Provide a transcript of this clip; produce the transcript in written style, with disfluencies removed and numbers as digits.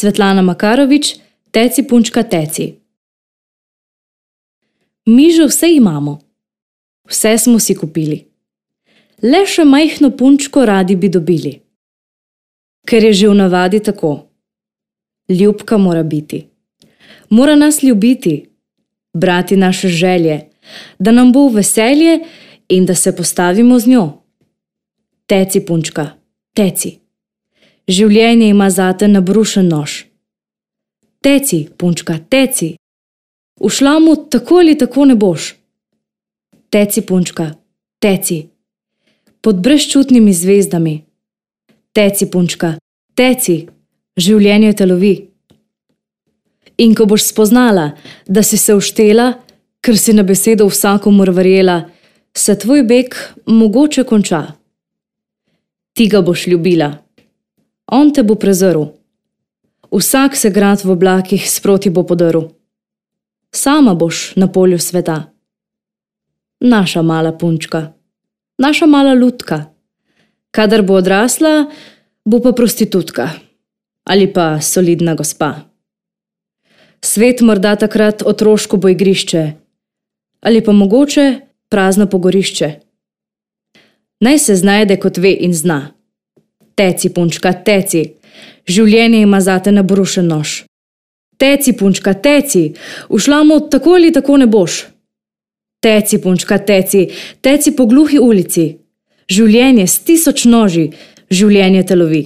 Svetlana Makarovič, Teci punčka teci. Mi že vse imamo. Vse smo si kupili. Le še majhno punčko radi bi dobili. Ker je že v navadi tako. Ljubka mora biti. Mora nas ljubiti, brati naše želje, da nam bo v veselje in da se postavimo z njo. Teci, punčka, teci. Življenje ima zate nabrušen nož. Teci, punčka, teci. V šlamu tako ali tako ne boš. Teci, punčka, teci. Pod brezčutnimi zvezdami. Teci, punčka, teci. Življenje te lovi. In ko boš spoznala, da si se uštela, ker si na besedo vsakomur verjela, se tvoj beg mogoče konča. Ti ga boš ljubila. On te bo prezrl. Vsak se grad v oblakih sproti bo podrl. Sama boš na polju sveta. Naša mala punčka. Naša mala lutka. Kadar bo odrasla, bo pa prostitutka. Ali pa solidna gospa. Svet morda takrat otroško bo igrišče. Ali pa mogoče prazno pogorišče. Naj se znajde, kot ve in zna. Teci, punčka, teci. Življenje ima zate nabrušen nož. Teci, punčka, teci. V šlamu tako ali tako ne boš. Teci, punčka, teci. Teci po gluhi ulici. Življenje s 1000 noži. Življenje te lovi.